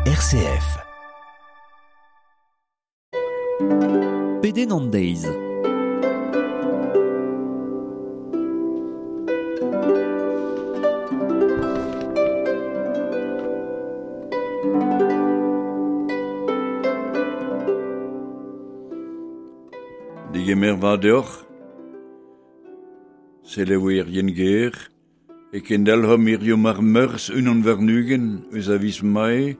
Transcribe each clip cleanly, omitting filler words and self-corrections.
RCF. Pedenn an deiz. Digemer vat deoc'h, selaouerien ger, e kendalc'homp hiziv ar Meurzh unan warn-ugent eus a viz Mae,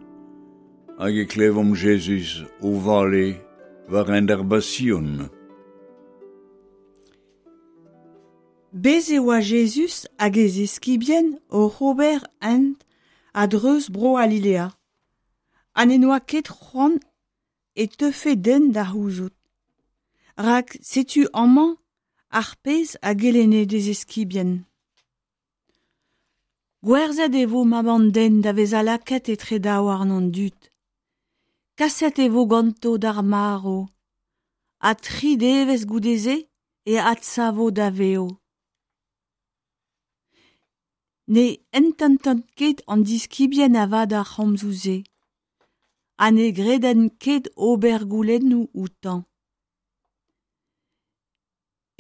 hag e klevomp Jezuz o vale war hent ar Basion. Bez' e oa Jezuz hag e ziskibien oc'h ober hent a-dreuz Bro-C'halilea, ha n'en doa ket c'hoant e teufe den da c'houzout. Rak setu amañ ar pezh a gelenne d'e ziskibien. Gwerzhet e vo mab an den da vezañ lakaet etre daouarn an dud. Kaset e vo ganto d'ar marv, ha tri devezh goude-se e adsavo da vev. Ne ententent ket an diskibien avat ar c'homzoù-se, ha ne gredent ket ober goulennoù outañ.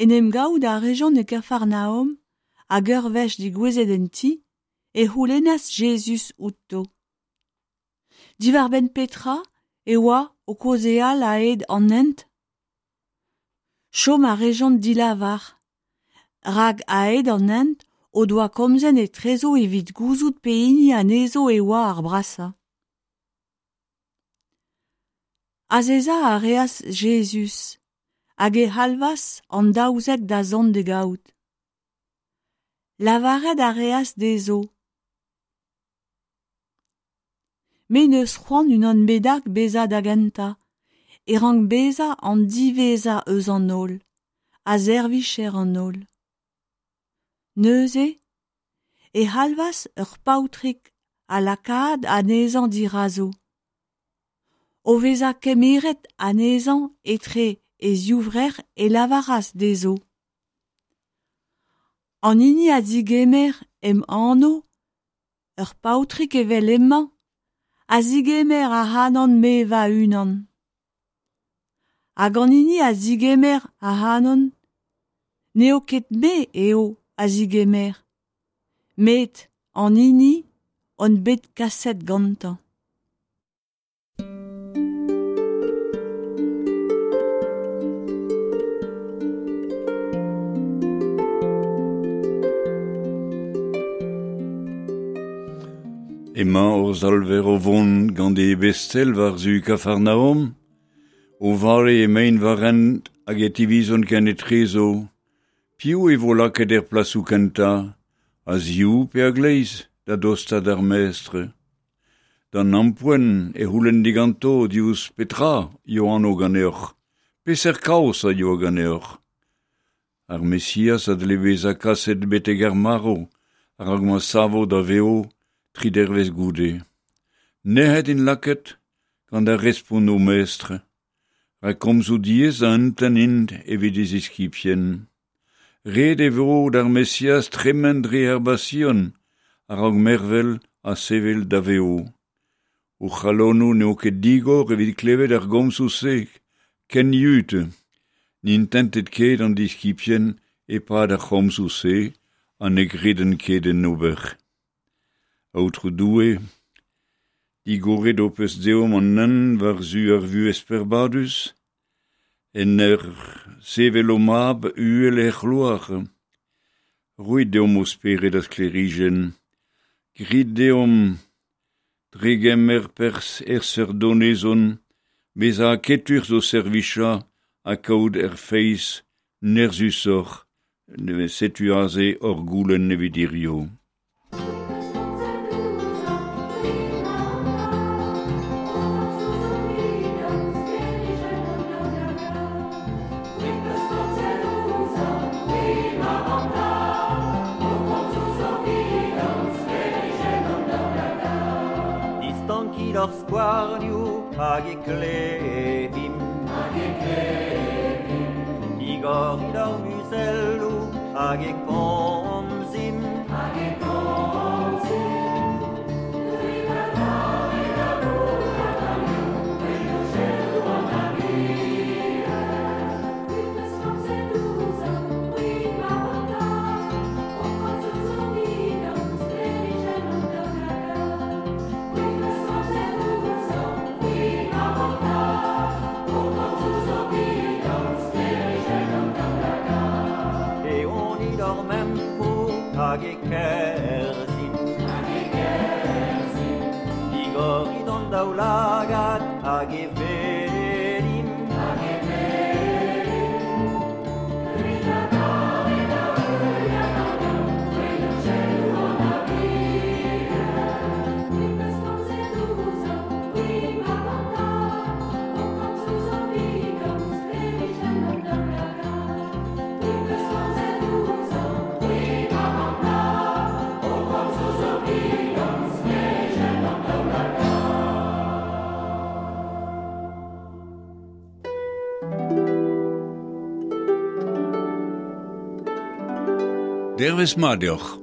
En em gavout a rejont e Kafarnaom, hag ur wech degouezhet en ti, e c'houlennas Jezuz outo. Diwar-benn petra e oa o kaozeal a-hed an hent ? Chom a rejont dilavar, rak a-hed an hent o doa komzet etrezo evit gouzout pehini anezho e oa ar brasañ. Azezañ a reas Jezuz hag e c'halvas an daouzek da zont d'e gaout. Lavaret a reas dezho: Me 'neus c'hoant unan bennak bezañ da gentañ, e rank bezañ an diwezhañ eus an holl, ha servijer an holl. Neuze e c'halvas ur paotrig ha lakaat anezhañ dirazo. O vezañ kemeret anezhañ etre e zivrec'h e lavaras dezho: An hini a zegemer em anv, ur paotrig evel hemañ, a zegemer ac'hanon-me va-unan. Hag an hini a zegemer ac'hanon, n'eo ket me eo a zegemer, met an hini on bet kaset gantañ. Emañ hor Salver o vont gant e ebestel war-zu Kafarnaom, o vale emaint war hent hag e tivizont kenetrezo. Piv e vo lakaet er plasoù kentañ, a-ziv pe a-gleiz, da dostaat d'ar mestr. D'an ampoent e c'houlenn diganto diouzh petra eo anv ganeoc'h, peseurt kaoz a yoa ganeoc'h. Ar Mesiaz a dle bezañ kaset betek ar marv a-raok ma savo da vev tri dervezh goude. Nec'het int lakaet gant ar respont o mestr, rak komzoù diaes a entent int evit e ziskibien. Ret e vo d'ar Mesiaz tremen dre ar Basion a-raok mervel ha sevel da vev. O c'halonoù n'eo ket digor evit klevet ar gomzoù-se ken yud. N'intentet ket an diskibien e-pad ar c'homzoù-se ha ne gredent ket en ober. Aotrou Doue, digoret ho peus deomp an hent war-zu ar vuhez peurbadus, en ur sevel ho mab uhel er c'hloar. Roit deomp ho spered a sklêrijenn, grit deomp dre gemer perzh er seurt donezon, bezañ aketus d'ho servijañ ha kaout er feiz nerzhusoc'h. Setu aze hor goulenn evit hiziv. Distankit hor skouarnioù hag e klevimp. Digorit hor muzelloù hag e komzimp. daoulagad hag e welimp. Hag e Dervez mat deoc'h.